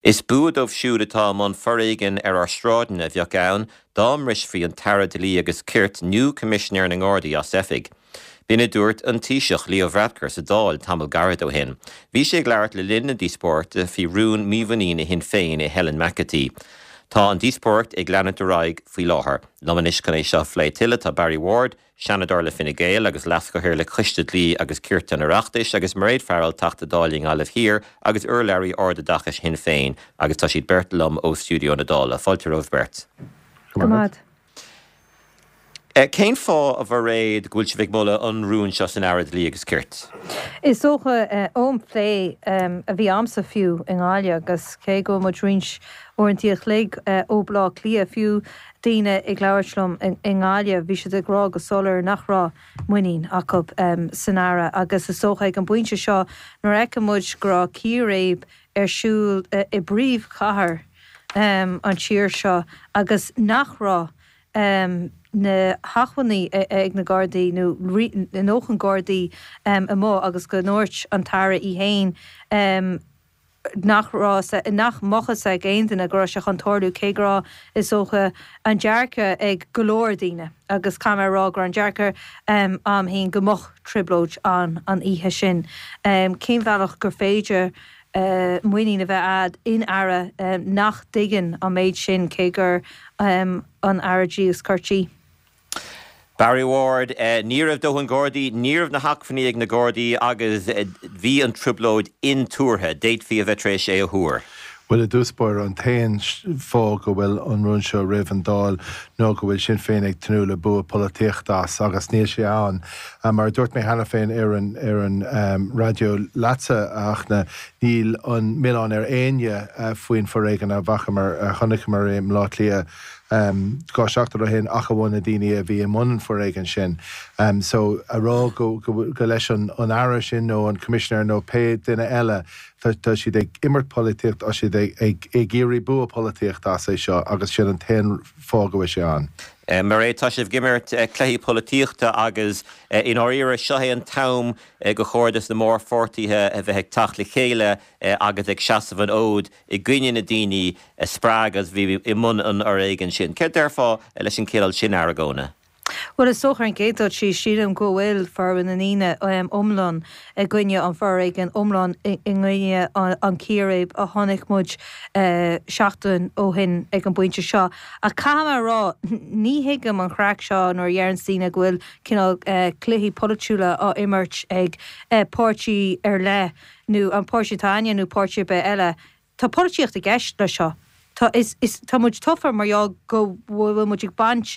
Is bua dóibh siúd atá i mbun foréigin ar ár sráideanna a bheadh ann dá mbrisfí an tAire Dlí agus Cirt nó Coimisinéir na nGardaí as oifig. B'in a dúirt an Taoiseach Leo Varadkar sa Dáil tamall gairid ó shin. Bhí sé ag labhairt le linn na díospóireachta faoi rún mímhuiníne Shinn Féin i Helen McEntee. Tá an díospóireacht ag leanúint ar aghaidh faoi láthair. Liom anois chun é seo a phlé tuilleadh tá Barry Ward, Seanadóir le Fine Gael agus Leaschathaoirleach Choiste Dlí agus Cirt an Oireachtais, agus Mairéad Farrell, Teachta Dála i nGaillimh Thiar agus urlabhraí ardoideachais Shinn Féin, agus tá siad beirt liom ó stiúideo na Dála. Fáilte romhaibh beirt. Go raibh maith agat. Cén fáth, a Mhairéad, go bhfuil sibh ag moladh an rúin seo san Aire Dlí agus Cirt? Is dócha, ón phlé a bhí a'msa fiú i nGaillimh, agus cé go bhfuil muid roinnt uaireanta a chloig ó Bhaile Átha Cliath, fiú daoine ag labhairt liom i nGaillimh, bhí siad ag rá go soiléir nach raibh muinín acu san Aire agus is dócha ag an bpointe seo nuair a fheiceann muid go raibh círéib ar siúl i bpríomhchathair an tír seo agus nach raibh na hacmhainní ag na Gardaí nó a ndóthain Gardaí amuigh agus go ndúirt an tAire í féin nach raibh, nach mbeadh fhios ag aon duine go raibh sé chun tarlú, cé go raibh, is dócha, an dearcadh ag go leor daoine, agus caithfidh mé a rá go raibh an dearcadh a'm féin go mbeadh trioblóid ann an oíche sin. Cén bhealach gur féidir muinín a bheith a'd in Aire nach dtuigeann an méid sin, cé gur an Aire Dlí agus Cirt í? Barry Ward, Ní raibh dóthain Gardaí, ní raibh na hacmhainní ag na Gardaí agus bhí an trioblóid intuartha. D'fhéadfaí a bheith tar éis é a thuar. Bhuel, i dtús báire, an t-aon fáth go bhfuil an rún seo roimh an Dáil ná go bhfuil Sinn Féin ag tnúth le bua polaitíochta as, agus níl sé ann. Mar a dúirt mé cheana féin ar an ar an raidió leatsa, a Fhachtna, níl an milleán ar éinne faoin foréigean a bhfacamar, a chonaiceamar i mBleá Cliath 2 seachtain ó shin ach amháin na daoine a bhí i mbun an foréigin sin. So, a rá go go leis an Aire sin nó an Coimisinéir nó pé duine eile, tá siad ag imirt polaitíocht, tá siad ag iarraidh bua polaitíochta as é seo agus sin an t-aon fáth go bhfuil sé ann. Mairéad, tá sibh ag imirt cluichí polaitíochta agus i ndáiríre seo é an t-am gur chóir dos na mórpháirtithe a bheith ag teacht le chéile agus ag seasamh an fhóid i gcoinne na daoine a spreag agus a bhí i mbun an fhoréigin sin. Céard déarfá leis an cineál sin argóna? Bhuel, is dócha ar an gcéad dul síos, sílim go bhfuil formhór na ndaoine iomlán i gcoinne an fhoréigin, iomlán i gcoinne an círéib a chonaic muid seachtain ó shin ag an bpointe seo. Ach caithfidh mé a rá, ní thuigim an chraic seo nuair a dheireanns daoine go bhfuil cineál cluichí polaitiúla á imirt ag páirtí ar leith nó an páirtí atá againne nó páirtí ar bith eile. Tá polaitíocht i gceist leis seo. Tá, is, is, tá muid tofa mar gheall go bhfuil muid ag baint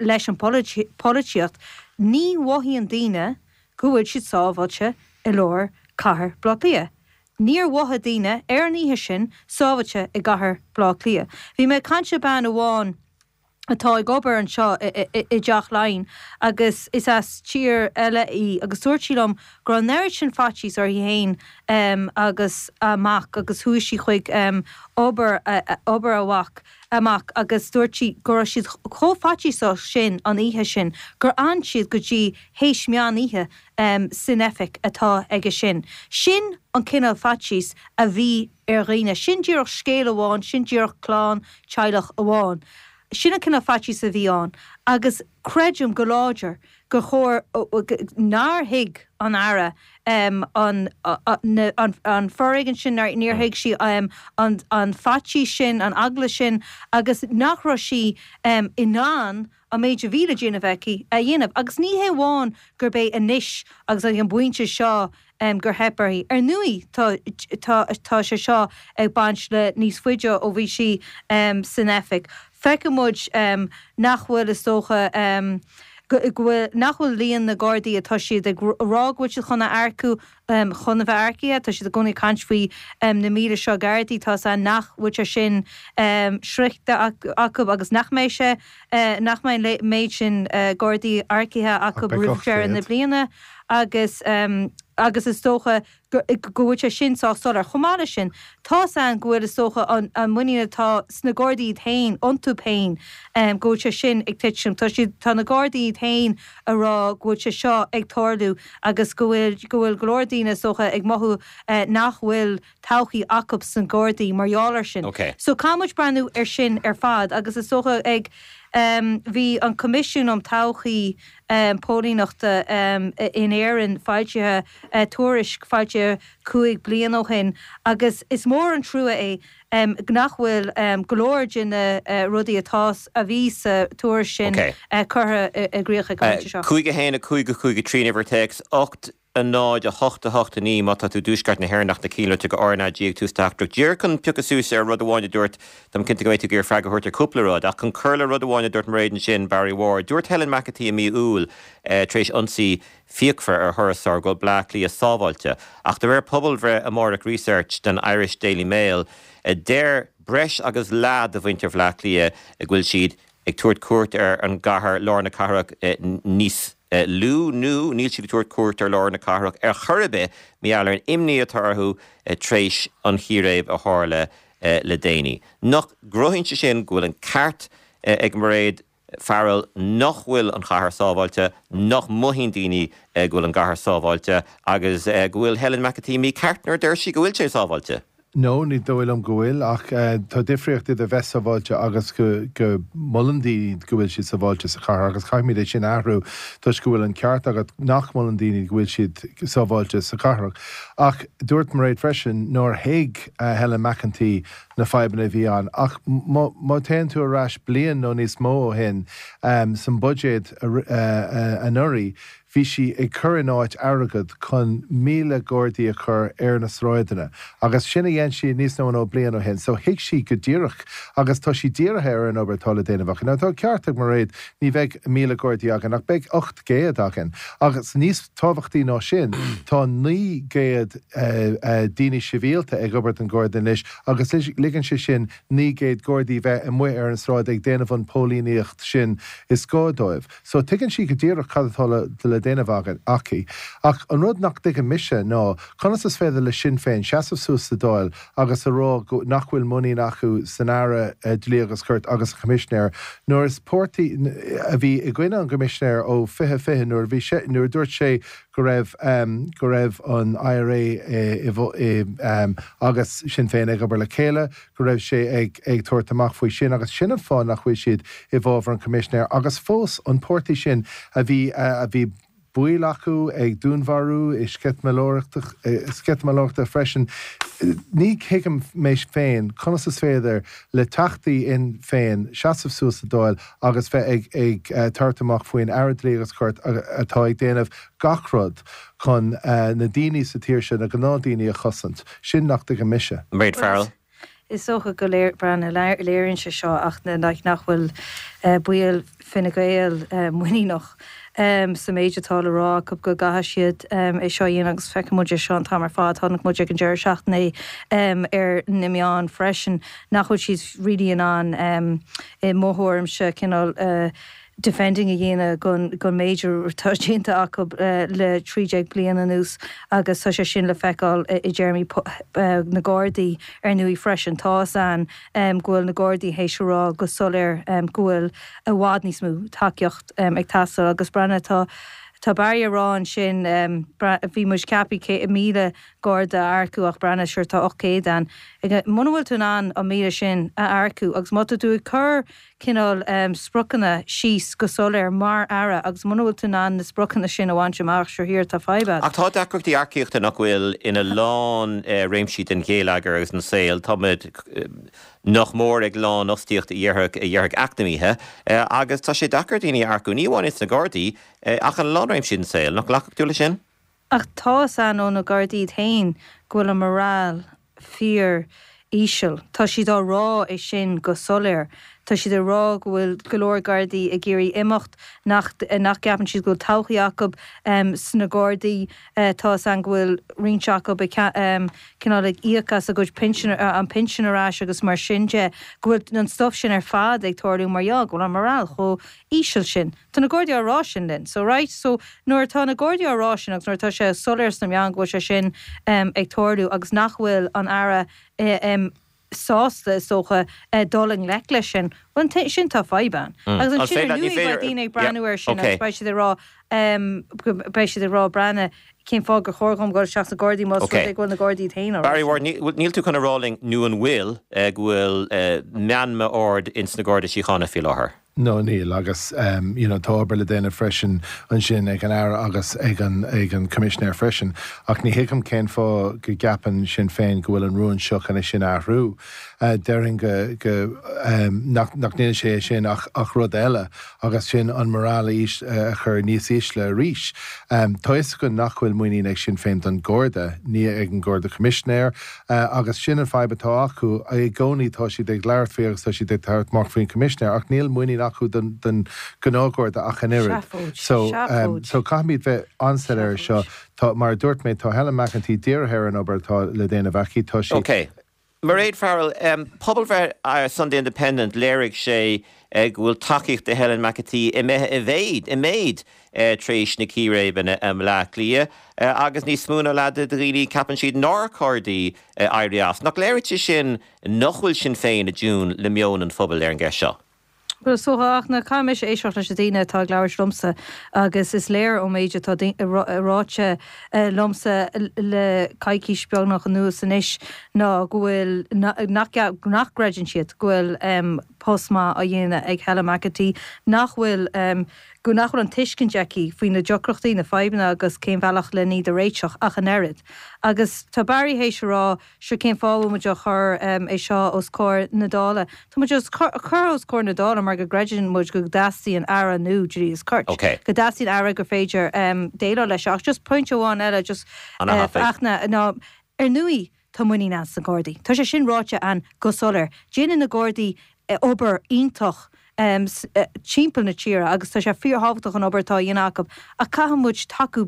leis an bpolaitíocht. Ní mhothaíonn daoine go bhfuil siad sábháilte i lár cathair Bhaile Átha Cliath. Níor mhothaigh daoine ar an oíche sin sábháilte i gcathair Bhaile Átha Cliath. Bhí mé ag caint le bean amháin atá ag obair anseo i dTeach Laighean agus is as tír eile í agus dúirt sí liom go raibh an oiread sin faitíos uirthi féin agus a mac agus chuaigh sí chuig obair obair a mhac a mac agus dúirt sí go raibh siad chomh faitíosach sin an oíche sin gur fhan siad go dtí théis meán oíche san oifig atá aige sin. Sin an cineál faitíos a bhí ar dhaoine. Sin díreach scéal amháin, sin díreach clann, teaghlach amháin. Sin an cineál faitíos a bhí ann agus creidim go láidir gur chóir, nár thuig an Aire an an foréigean sin, níor thuig sí an faitíos sin, an eagla sin agus nach raibh sí in ann an méid a bhí le déanamh aici a dhéanamh. Agus ní hé amháin gurb é anois agus ag an bpointe seo gur theip uirthi. Ar ndóigh tá tá tá sé seo ag baint le níos faide ó bhí sí san oifig. Feiceann muid nach bhfuil, is dócha, go bhfuil, nach bhfuil líon na Gardaí atá siad ag rá go bhfuil siad chun a earcú chun a bheith earcaithe. Tá siad i gcónaí ag caint faoi na 1,000 seo Gardaí. Tá 's a'inn nach bhfuil sé sin sroichte acu agus nach mbeidh sé, nach mbeidh an méid sin Gardaí earcaithe acu roimh dheireadh na bliana agus agus is dócha. Go bhfuil sé sin sách soiléir. Chomh maith leis sin, tá's a'inn go bhfuil, is dócha, an muinín atá sna Gardaí iad féin, iontu féin, go bhfuil sé sin ag titim. Tá siad, tá na Gardaí iad féin a rá go bhfuil sé seo ag tarlú agus go bhfuil, go bhfuil go leor daoine, is dócha, ag mothú nach bhfuil todhchaí acu sna Gardaí mar gheall air sin. So caithfidh muid breathnú ar sin ar fad agus is dócha ag, bhí an Coimisiún um Todhchaí Póilíneachta in Éirinn foilsithe, tuairisc foilsithe 5 bliana ó shin agus is mór an trua é nach bhfuil go leor de na rudaí atá, a bhí sa tuairisc sin curtha i gcrích ag an bpointe seo. 5 1 5 5 3 an uimhir téacs 8 0 8 8 9 má tá tú i dtuaisceart na hÉireann ach na cinnlite go RnaG ag tús teachtaireacht díreach chun piocadh suas ar rud amháin a dúirt Táim cinnte go mbeidh tú ag iarraidh freagra a thabhairt ar cúpla rud ach chun cur le rud amháin a dúirt Mairéad ansin, Barry Ward, dúirt Helen McEntee i mí Iúil tar éis ionsaí fíochmhar ar thurasóir go bhfuil Bleá Cliath sábháilte ach de réir pobalbhreith Amárach Research don Irish Daily Mail deir breis agus leath de mhuintir Bhleá Cliath go bhfuil siad ag tabhairt cuairt ar an gcathair, lár na cathrach, níos lú nó níl siad ag tabhairt cuairt ar lár na cathrach ar chor ar bith mar gheall ar an imní atá orthu tar éis an chíréib a tharla le déanaí. Nach gcruthaíonn sé sin go bhfuil an ceart ag Mairéad Farrell nach bhfuil an chathair sábháilte, nach mothaíonn daoine go bhfuil an gcathair sábháilte agus go bhfuil Helen McEntee mícheart nuair a deir sí go bhfuil sé sábháilte? No, ní dóigh liom go bhfuil, ach tá difríocht idir bheith sábháilte agus go go molann daoine go bhfuil siad sábháilte sa chathair agus caithfimid é sin a athrú toisc go bhfuil an ceart agat nach molann daoine go bhfuil siad sábháilte sa chathair. Ach dúirt Mairéad freisin nár thuig Helen McEntee na fadhbanna a bhí ann. Ach má má téann tú ar ais bliain nó níos mó ó shin san buidéad anuraidh, Bhí sí ag cur in áit airgead chun 1,000 Gardaí a chur ar na sráideanna agus sin a dhein sí níos mó nó bliain ó shin. So thuig sí go díreach agus tá sí dírithe ar an obair atá le déanamh aici. Now tá ceart ag Mairéad, ní bheidh 1,000 Gardaí againn ach beidh 800 againn agus níos tábhachtaí ná sin tá 900 daoine sibhialta ag obair don Gharda anois agus ligeann sé sin 900 Gardaí bheith amuigh ar an sráid ag déanamh an póilíníocht sin is gá dóibh. So, tuigeann sí go díreach cad atá le déanamh againn, aici. Ach an rud nach dtuigeann mise ná conas is féidir le Sinn Féin seasamh suas sa Dáil agus a rá go, nach bhfuil muinín acu san Aire Dlí agus Cirt agus an Choimisinéir nuair is páirtí a bhí i gcoinne an gCoimisinéir ó 2020 nuair a bhí sé, nuair a dúirt sé go raibh, go raibh an IRA i, i, agus Sinn Féin ag obair le chéile, go raibh sé ag ag tabhairt amach faoi sin agus sin an fáth nach bhfuil siad i bhfabhar an Choimisinéir agus fós an páirtí sin a bhí a bhí baill acu ag dúnmharú i sceitimíneachta freisin. Ní thuigim mé féin conas is féidir le teachtaí Fhinn Féin seasamh suas sa Dáil agus bheith ag ag tabhairt amach faoin Aire Dlí agus Cirt atá ag déanamh gach rud chun na daoine sa tír seo, na gnáthdhaoine a chosaint. Sin nach dtuigim mise. Mairéad Farrell. Is dócha go léiríonn sé seo ach nach bhfuil baill Fine Gael muiníneach sa méid atá le rá acu go gcaithfidh siad é seo a dhéanamh agus feicfidh muid é seo an t-am ar fad. Chonaic muid ag an deireadh seachtaine é ar na meáin freisin nach bhfuil siad really in ann i mo thuairimse cineál defending a dhéanamh don méid atá déanta acu le 13 bliain anuas agus tá sé sin le feiceáil i dtéarmaí na Gardaí ar ndóigh freisin. Tá fhios a'inn go bhfuil na Gardaí théis a rá go soiléir go bhfuil i bhfad níos mó tacaíocht ag teastáil agus breathnaigh tá tá Barry a rá ansin bhí muid ceaptha 1,000 Garda a earcú ach breathnaigh sure tá 800 ann. Muna bhfuil tú in ann an 1,000 sin a earcú agus má tá tú ag cur cineál spriocanna síos go soiléir mar Aire agus muna bhfuil tú in ann na spriocanna sin a bhaint amach, sure here tá fadhb agat. Ach tá deacrachtaí earcaíochta nach bhfuil ina lán réimsí den gheilleagar agus den saol. Táimid nach mór ag lánfhostaíocht a dhéarfadh a dhéarfadh eacnamaithe agus tá sé deacair daoine a earcú, ní amháin ins na Gardaí ach ina lán réimsí den saol. Nach nglacfadh tú leis sin? Ach tá fhios a'inn ó na Gardaí iad féin go bhfuil an morale fíor íseal. Tá siad á rá é sin go soiléir. Tá siad ag rá go bhfuil go leor Gardaí ag iarraidh imeacht, nach nach gceapann siad go bhfuil todhchaí acu sna Gardaí. Tá fhios a'inn go bhfuil roinnt acu ag cineál ag íoc as a gcuid pinsean, an pinsean ar ais agus mar sin de, go bhfuil an stuff sin ar fad ag tarlú mar gheall go bhfuil an morale chomh íseal sin. Tá na Gardaí á rá sin linn. So right, so nuair atá na Gardaí á rá sin agus nuair atá sé soiléir sna meáin go bhfuil sé sin ag tarlú agus nach bhfuil an Aire sásta, is dócha, dul i ngleic leis sin, bhuel ansin tá fadhb ann. Agus ansin ar ndóigh beidh daoine ag breathnú air sin agus beidh siad ag rá, beidh siad ag rá breathnaigh, cén fáth gur chóir dhom dul isteach sna Gardaí más rud é go bhfuil na Gardaí iad féin á rá Barry Ward, níl tú chun a rá linn, nó an bhfuil, go bhfuil meanma ard ins na Garda Síochána faoi láthair? No, níl, agus you know tá obair le déanamh freisin ansin ag an Aire agus ag an ag an Coimisinéir freisin. Ach ní thuigim cén fáth go gceapann Sinn Féin go bhfuil an rún seo chun é sin a athrú. Déarfainn go go nach nach ndéanann sé é sin ach ach rud eile agus sin an morale a chur níos ísle arís. Tá fhios againn nach bhfuil muinín ag Sinn Féin don Gharda, ní ag an Garda Coimisinéir, Agus sin an fadhb atá acu. I gcónaí tá siad ag labhairt faoi agus tá siad ag tabhairt amach faoin Choimisinéir ach níl muinín acu don gnáthgharda ach an oiread. So, so caithfimid bheith an-soiléir ar seo. Tá, mar a dúirt mé, tá Helen McEntee dírithe ar an obair atá le déanamh aici. Tá sí. Ok. Mairéad Farrell, Pobalbhreith Sunday Independent, léirigh sé go bhfuil tacaíocht do Helen McEntee imithe i mhéid, i méid tar éis na círéibeanna i mBleá Cliath agus níos mó ná leath de dhaoine ceapann siad nár chóir di éirí as. Nach léiríonn sé sin nach bhfuil Sinn Féin i dtiún le meon an phobail ar an gceist seo? Bhuel, is dócha, ach caithfidh mise éisteacht leis na daoine atá ag labhairt liomsa agus is léir ón méid atá ráite liomsa le coicís beagnach anuas anois ná go bhfuil, nach gcreideann siad go bhfuil post maith á dhéanamh ag Helen McEntee, nach bhfuil, go nach bhfuil an tuiscint aici faoi na deacrachtaí, na fadhbanna agus cén bhealach len iad a réiteach ach an oiread. Agus tá Barry théis a rá, sure cén fáth a bhfuil muid á chur é seo os comhair na Dála? Tá muid á chur os comhair na Dála mar go gcreideann muid go dteastaíonn Aire nua Dlí is Cirt. Go dteastaíonn Aire gur féidir déileáil leis seo. Ach just pointe amháin eile just Fachtna, ná ar ndóigh tá muinín ann sna Gardaí. Tá sé sin ráite ann go soiléir. Déanann na Gardaí obair iontach timpeall na tíre agus tá sé fíorthábhachtach an obair atá á dhéanamh acu ach caithfidh muid tacú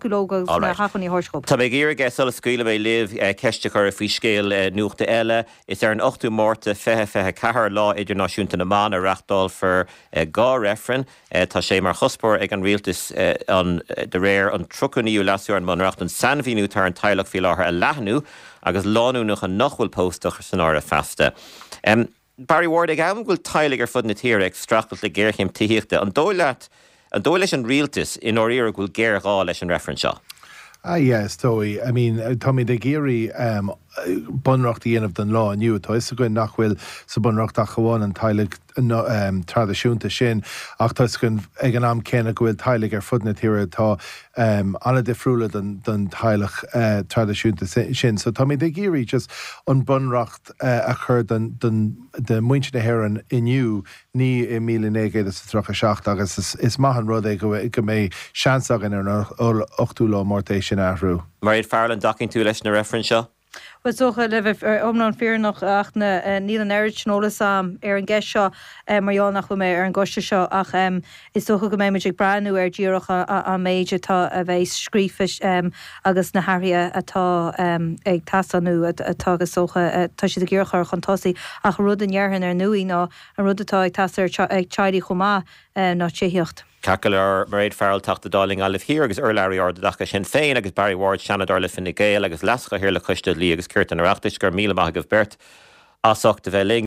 leo agus na hacmhainní a thabhairt dhóibh. Tá mé ag iarraidh, sula scaoilfidh mé libh, ceist a chur faoi scéal nuachta eile. Is ar an 8ú Márta 2024, Lá Idirnáisiúnta na mBan, a reáchtálfar 2 reifreann. Tá sé mar chuspóir ag an rialtas an, de réir an 39ú Leasú ar an mBunreacht, an sainmhíniú atá ar an teaghlach faoi láthair a leathnú agus lánúineacha nach bhfuil pósta a chur san áireamh feasta. Barry Ward, ag am go bhfuil teaghlaigh ar fud na tíre ag streachailt le géarchéim tithíochta, an dóigh leat, an dóigh leis an rialtas i ndáiríre go bhfuil géarghá leis an reifreann seo? Ah yeah, is dóigh. I mean, táimid ag iarraidh bunreacht a dhéanamh don lá inniu. Tá 'fhios againn nach bhfuil sa bunreacht ach amháin an teaghlach traidisiúnta sin, ach tá 'fhios againn ag an am céanna go bhfuil teaghlaigh ar fud na tíre atá an-difriúla don teaghlach traidisiúnta sin. So táimid ag iarraidh just an bunreacht a chur do mhuintir na hÉireann inniu, ní i 1937 agus is maith an rud é go mbeidh seans againn ar an 8ú lá Márta é sin a athrú. Mairéad Farrell, an dtacaíonn tú leis na reifrinn seo? Bhuel, is dócha, le bheith iomlán fírinneach, Fhachtna, níl an oiread sin eolas agam ar an gceist seo mar gheall nach bhfuil mé ar an gcoiste seo ach Is dócha go mbeidh muid ag breathnú ar díreach an méid atá a bheas scríofa agus na hathruithe atá ag teastáil nó atá is dócha tá siad ag iarraidh a chur chun tosaigh. Ach an rud a ndéarfainn ar ndóigh ná an rud atá ag teastáil ag teaghlaigh chomh maith ná tithíocht. Ceart go leor, Mairéad Farrell, Teachta Dála i nGaillimh Thiar agus urlabhraí ard i dtaca Shinn Féin agus Barry Ward, Seanadóir le Fine Gael agus Leas-Chathaoirleach Choiste Dlí agus Cirt an Oireachtais, go raibh míle maith agaibh beirt as ucht a bheith linn.